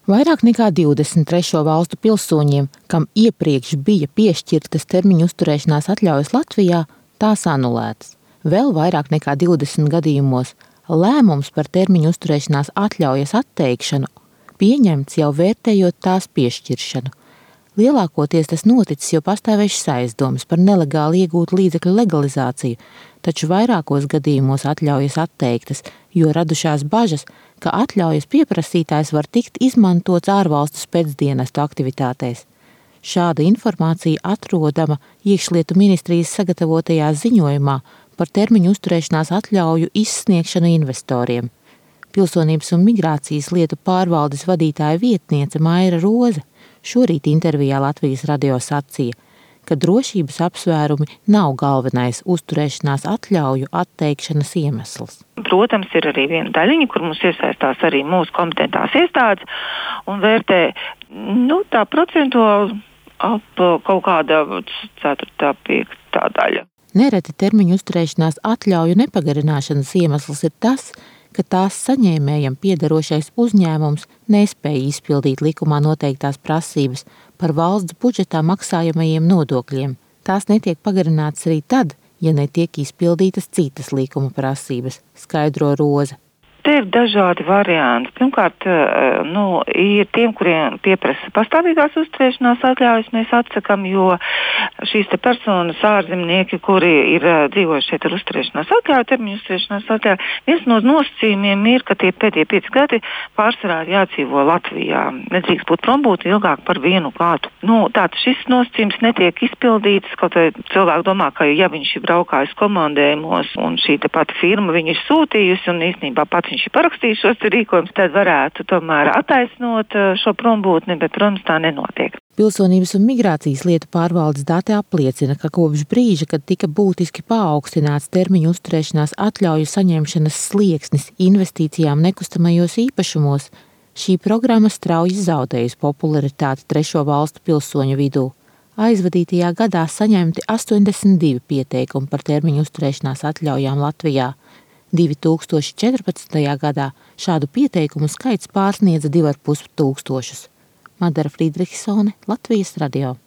Vairāk nekā 20 trešo valstu pilsoņiem, kam iepriekš bija piešķirtas termiņu uzturēšanās atļaujas Latvijā, tās anulētas. Vēl vairāk nekā 20 gadījumos lēmums par termiņu uzturēšanās atļaujas atteikšanu pieņemts jau vērtējot tās piešķiršanu. Lielākoties tas noticis, jo pastāvējušas aizdomas par nelegāli iegūtu līdzekļu legalizāciju, taču vairākos gadījumos atļaujas atteiktas, jo radušās bažas, ka atļaujas pieprasītājs var tikt izmantots ārvalstu spēcdienestu aktivitātēs. Šāda informācija atrodama Iekšlietu ministrijas sagatavotajā ziņojumā par termiņu uzturēšanās atļauju izsniegšanu investoriem. Pilsonības un migrācijas lietu pārvaldes vadītāja vietniece Maira Roze šorīt intervijā Latvijas radio sacīja, ka drošības apsvērumi nav galvenais uzturēšanās atļauju atteikšanas iemesls. Protams, ir arī viena daļiņa, kur mums iesaistās arī mūsu kompetentās iestādes un vērtē tā procentuāli ap kaut kāda 4., 5. daļa. Nereti termiņu uzturēšanās atļauju nepagarināšanas iemesls ir tas, ka tās saņēmējam piederošais uzņēmums nespēja izpildīt likumā noteiktās prasības par valsts budžetā maksājamajiem nodokļiem. Tās netiek pagarinātas arī tad, ja netiek izpildītas citas likuma prasības, skaidro Roze. Te ir dažādi varianti. Pirmkārt, ir tiem, kuriem pieprasa pastāvīgās uzturēšanās atļaujas, mēs atsakam, jo šīs te personas ārzemnieki, kuri ir dzīvojuši šeit ar uzturēšanās atļauju, termiņu uzturēšanās atļauju, viens no nosacījumiem ir, ka tie pēdējie 5 gadi pārsvarā ir jādzīvo Latvijā. Nedrīkst būt prombūti ilgāk par 1 gadu. Tātad šis nosacījums netiek izpildīts, kaut vai cilvēki domā, ka ja viņš ir braukājis komandējumos un šī te pati firma viņu ir sūtījusi un īstenībā pats viņš ir parakstījis šos rīkojumus, tad varētu tomēr attaisnot šo prombūtni, bet, protams, tā nenotiek. Pilsonības un migrācijas lietu pārvaldes dati apliecina, ka kopš brīža, kad tika būtiski paaugstināts termiņu uzturēšanās atļauju saņemšanas slieksnis investīcijām nekustamajos īpašumos, šī programma strauji zaudējusi popularitāti trešo valstu pilsoņu vidū. Aizvadītajā gadā saņemti 82 pieteikumi par termiņu uzturēšanās atļaujām Latvijā. 2014. gadā šādu pieteikumu skaits pārsniedza 2,5 tūkstošus. Madara Friedrichsone, Latvijas radio.